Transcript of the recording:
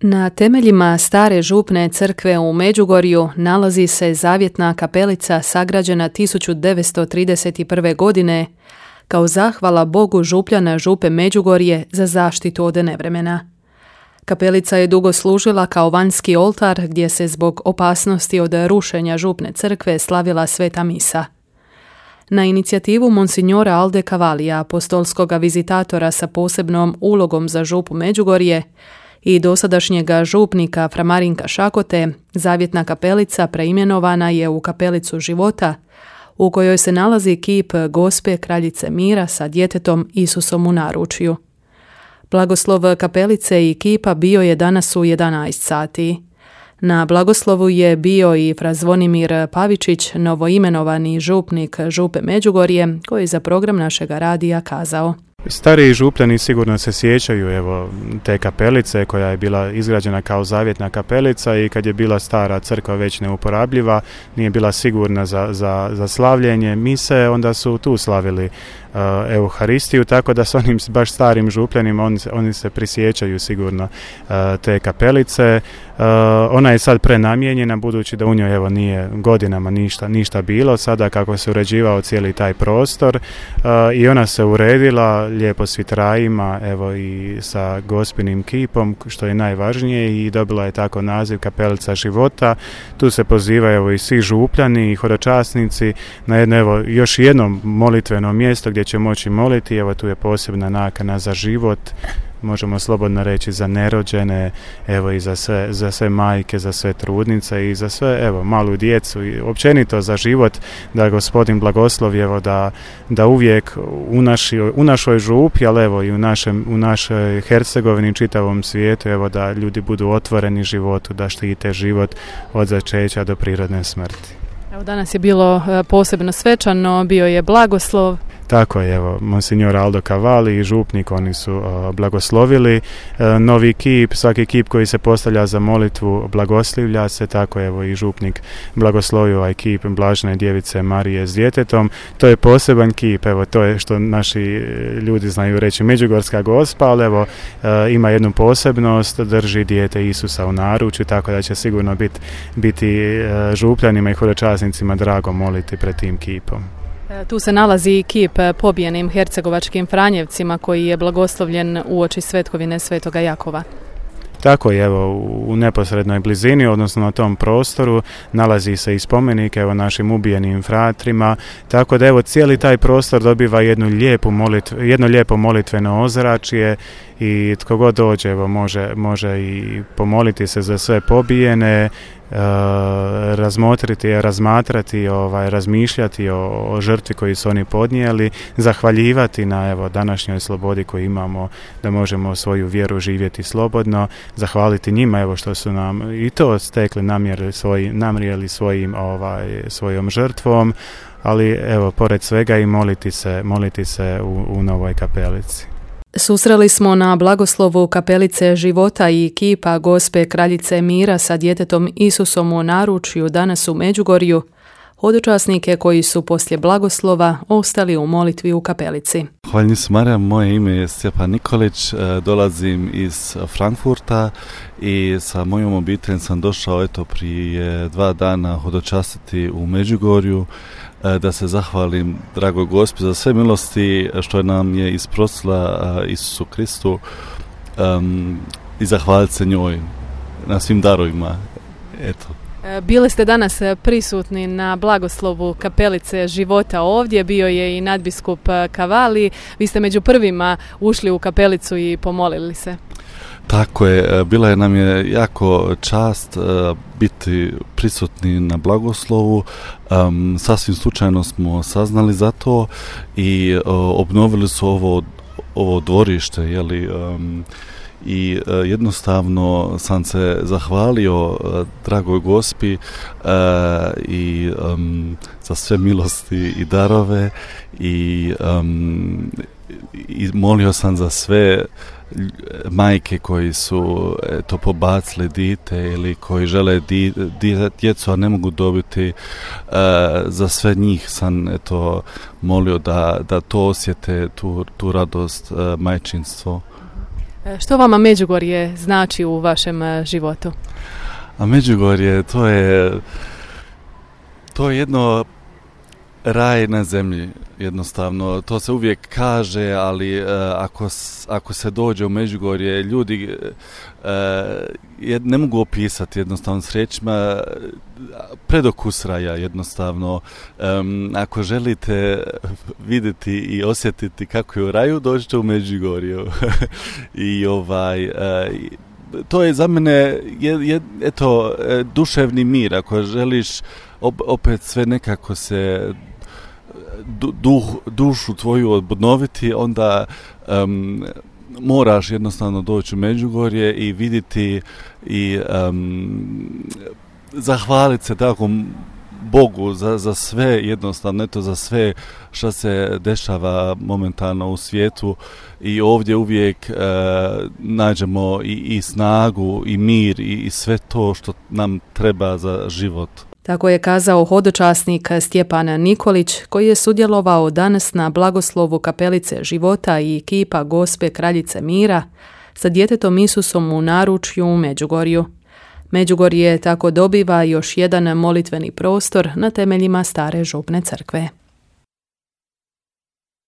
Na temeljima stare župne crkve u Međugorju nalazi se zavjetna kapelica sagrađena 1931. godine kao zahvala Bogu župljana župe Međugorje za zaštitu od nevremena. Kapelica je dugo služila kao vanjski oltar gdje se zbog opasnosti od rušenja župne crkve slavila sveta misa. Na inicijativu monsignora Alde Cavalija, apostolskog vizitatora sa posebnom ulogom za župu Međugorje, i dosadašnjega župnika Fra Marinka Šakote, zavjetna kapelica preimenovana je u kapelicu života, u kojoj se nalazi kip Gospe Kraljice mira sa djetetom Isusom u naručju. Blagoslov kapelice i kipa bio je danas u 11 sati. Na blagoslovu je bio i Fra Zvonimir Pavičić, novoimenovani župnik župe Međugorje, koji je za program našega radija kazao: Stariji župljani sigurno se sjećaju te kapelice koja je bila izgrađena kao zavjetna kapelica i kad je bila stara crkva već neuporabljiva, nije bila sigurna za slavljenje mise, onda su tu slavili Euharistiju, tako da s onim baš starim župljanima oni se prisjećaju sigurno te kapelice. Ona je sad prenamijenjena budući da u njoj nije godinama ništa bilo, sada kako se uređivao cijeli taj prostor i ona se uredila lijepo s vitrajima i sa Gospinim kipom, što je najvažnije, i dobila je tako naziv Kapelica života. Tu se pozivaju i svi župljani i hodočasnici na još jedno molitveno mjesto gdje će moći moliti. Tu je posebna nakana za život, možemo slobodno reći za nerođene, i za sve majke, za sve trudnice i za sve malu djecu i općenito za život, da Gospodin blagoslovi da uvijek u našoj župi, ali i u našoj Hercegovini, čitavom svijetu, da ljudi budu otvoreni životu, da štite život od začeća do prirodne smrti. Danas je bilo posebno svečano, bio je blagoslov. Tako je, monsignor Aldo Cavali i župnik, oni su blagoslovili novi kip. Svaki kip koji se postavlja za molitvu blagoslivlja se, tako i župnik blagoslovio ovaj kip Blažene djevice Marije s djetetom. To je poseban kip, to je što naši ljudi znaju reći Međugorska Gospa, ali ima jednu posebnost, drži dijete Isusa u naručju, tako da će sigurno biti župljanima i hodočasnicima drago moliti pred tim kipom. Tu se nalazi kip pobijenim hercegovačkim Franjevcima koji je blagoslovljen uoči svetkovine Svetoga Jakova. Tako je, u neposrednoj blizini, odnosno na tom prostoru, nalazi se i spomenik našim ubijenim fratrima, tako da cijeli taj prostor dobiva jedno lijepo molitveno ozračje i tko god dođe može i pomoliti se za sve pobijene, razmatrati, razmišljati o žrtvi koju su oni podnijeli, zahvaljivati na današnjoj slobodi koju imamo, da možemo svoju vjeru živjeti slobodno, zahvaliti njima što su nam i to stekli, namrijeli svojom žrtvom, ali pored svega i moliti se u novoj kapelici. Susreli smo na blagoslovu kapelice života i kipa Gospe Kraljice mira sa djetetom Isusom u naručju danas u Međugorju hodočasnike koji su poslije blagoslova ostali u molitvi u kapelici. Hvala se Marija, moje ime je Stjepan Nikolić, dolazim iz Frankfurta i sa mojom obiteljem sam došao prije 2 dana hodočastiti u Međugorju, da se zahvalim dragoj Gospi za sve milosti što nam je isprosila Isusu Kristu i zahvaliti se njoj na svim darovima. Bili ste danas prisutni na blagoslovu kapelice života ovdje, bio je i nadbiskup Cavali. Vi ste među prvima ušli u kapelicu i pomolili se. Tako je, bila je nam je jako čast biti prisutni na blagoslovu. Sasvim slučajno smo saznali za to i obnovili su ovo dvorište, i jednostavno sam se zahvalio dragoj Gospi i za sve milosti i darove i molio sam za sve majke koji su pobacili dite ili koji žele djecu, a ne mogu dobiti, za sve njih sam molio da to osjete, tu radost majčinstvo. Što vama Međugorje znači u vašem životu? A Međugorje, to je jedno raj na zemlji, jednostavno. To se uvijek kaže, ali ako se dođe u Međugorje, ljudi ne mogu opisati jednostavno s riječima, predokus raja jednostavno. Ako želite vidjeti i osjetiti kako je u raju, dođite u Međugorju. I to je za mene duševni mir. Ako želiš opet sve nekako se dušu tvoju obnoviti, onda moraš jednostavno doći u Međugorje i vidjeti i zahvaliti se tako Bogu za sve, jednostavno za sve što se dešava momentalno u svijetu, i ovdje uvijek nađemo i snagu i mir i sve to što nam treba za život. Tako je kazao hodočasnik Stjepan Nikolić, koji je sudjelovao danas na blagoslovu Kapelice života i kipa Gospe Kraljice mira sa djetetom Isusom u naručju u Međugorju. Međugorje tako dobiva još jedan molitveni prostor na temeljima stare župne crkve.